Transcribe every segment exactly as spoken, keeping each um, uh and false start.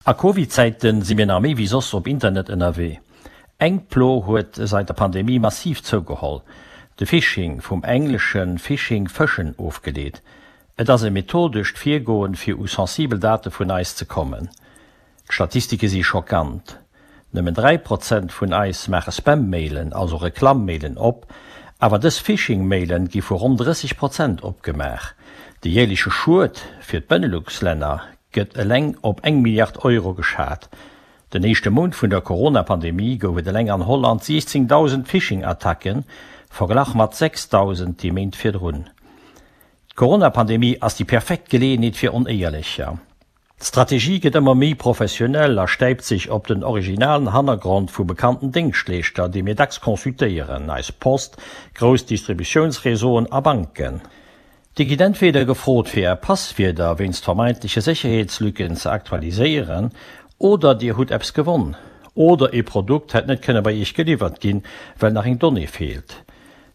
A Covid-Zäiten si mir nach méi wéi soss op Internet ënnerwee. Eng Plo huet säit der Pandemie massiv zougeholl, de Phishing, vum englesche fishing fëschen ofgeleet. Et ass e methodescht Virgoen, fir u sensibel Date vun eis ze kommen. D'Statistike si schockant, Nëmmen dräi Prozent vun eis maache Spam-Mailen, also Reklamm-Mailen op, awer dës Phishing-Mailen gi vu ronn drësseg Prozent opgemaach. De jäerleche Schued fir d'Benelux-Länner gëtt eleng op eng Milliard Euro geschat. Den éischte Mount vun der Corona-Pandemie gouf et eleng an Holland siechzéngdausend Phishing-Attacken, verglach mat sechsdausend déi Méint virdrun. D'Corona-Pandemie ass déi perfekt Geleeënheet fir Onéierlecher. D'Strategie gëtt ëmmer méi professionell a stäipt sech op den originalen Hannergrond vu bekannten Déngschtleeschter, déi mir dacks consultéieren, eis Post, grouss Distributiounsreseauen a Banken. Dir gitt entweder gefrot fir är Passwierder wéinst vermeintleche Sécherheetslücken ze aktualiséieren, oder dir hutt eppes gewonn, oder ee Produkt hätt net kënne bei iech geliwwert ginn, well nach eng Donnée feelt.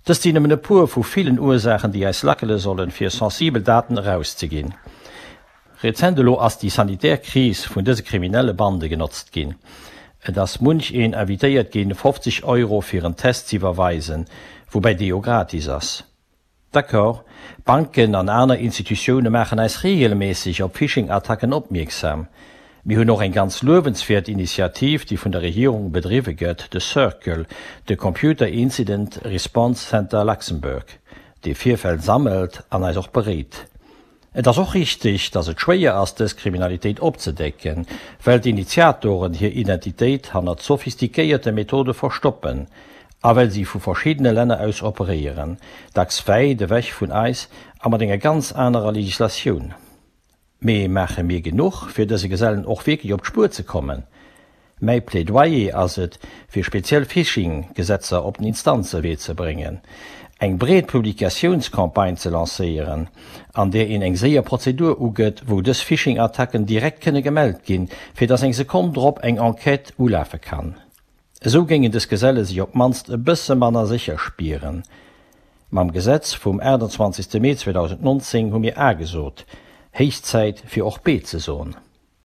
Dëst sinn nëmmen e puer vu villen Ursaachen, déi eis lackele sollen, fir sensibel Daten erauszeginn. Rezent elo ass déi sanitär Kris vun dëse kriminelle Bande genotzt ginn. Et ass munch een invitéiert ginn, fofzeg Euro fir en Test z'iwwerweisen, woubäi dee jo gratis ass. D'accord, Banken an aner Institutioune maachen eis reegelméisseg op Phishing-Attacken opmierksam. Mir hunn och eng ganz luewenswäert Initiativ, déi vun der Regierung bedriwwe gëtt, de CIRCL, de Computer Incident Response Center Luxembourg, dee Virfäll sammelt an eis och beréit. Et ass och richteg, datt et schwéier ass, dës Kriminalitéit opzedecken, well d'Initiatoren hir Identitéit hannert sophistiquéierte Methode verstoppen a well si vu verschiddene Länner aus operéieren, dacks wäit ewech vun eis a mat enger ganz anerer Legislatioun. Mee maache mir genuch, fir dëse Gesellen och wierklech op d'Spuer ze kommen? Mäi Plädoyer ass et, fir speziell Phishing-Gesetzer op den Instanzewee ze bréngen, eng breet Publikatiounscampagne ze lancéieren, an där een eng séier Prozedur ugëtt, wou dës Phishing-Attacken direkt kënne gemellt ginn, fir dass eng Sekonn drop eng Enquête ulafe kann. Esou géingen dës Geselle sech op d'mannst e bësse manner sécher spieren. Mam Gesetz vum aachtanzwanzegste Mee zweedausendnonzéng hu mir A gesot. Héich Zäit, fir och B ze soen.